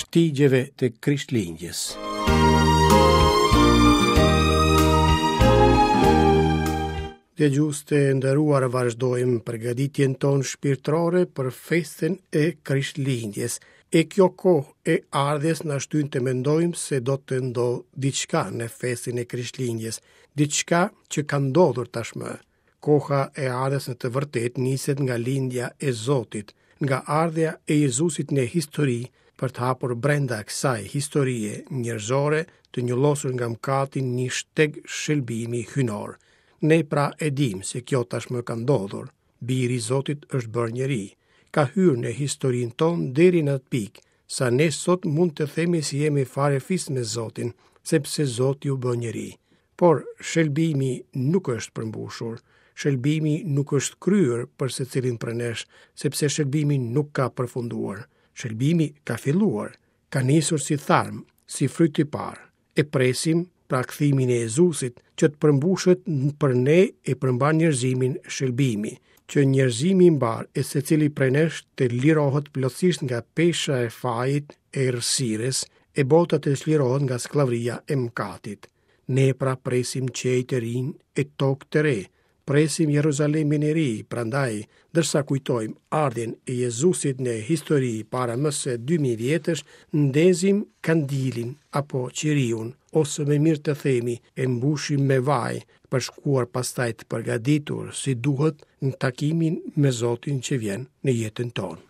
Shtigjeve të Krishtlindjes. Dëgjues të nderuar vazhdojmë përgatitjen tonë shpirtërore për festën e Krishtlindjes. E kjo kohë e ardhjes na shtyn të mendojmë se do të ndodhë diçka në festën e Krishtlindjes, diçka që ka ndodhur tashmë. Koha e ardhjes në të vërtetë niset nga lindja e Zotit, nga ardhja e Jezusit në histori për të hapur brenda kësaj historie njerëzore të njollosur nga mëkati një shteg shëlbimi hyjnor. Ne pra e dimë se kjo tashmë ka ndodhur. Biri i Zotit është bërë njeri. Ka hyrë në historinë tonë deri në atë pikë, sa ne sot mund të themi se jemi farefis me Zotin, sepse Zoti u bë njeri. Por shëlbimi nuk është përmbushur. Shëlbimi nuk është kryer për secilin prej nesh, sepse shëlbimi nuk ka përfunduar. Shëlbimi ka filluar, ka nisur si tharm, si fryt i parë. E presim pra kthimin e Jezusit që të përmbushet për ne e për mbarë njerëzimin shëlbimi, që njerëzimi i mbarë e secili prej nesh të lirohet plotësisht nga pesha e fajit e errësirës, e bota të çlirohet nga skllavëria e mëkatit. Ne pra presim qiej të rinj e tokë të re, Presim Jeruzalemin e Ri, prandaj, ndërsa kujtojmë ardhjen e Jezusit në histori para më se 2000 vjetësh, ndezim kandilin apo qiriun, ose më mirë të themi, e mbushim me vaj, për shkuar pastaj të përgatitur si duhet në takimin me Zotin që vjen në jetën tonë.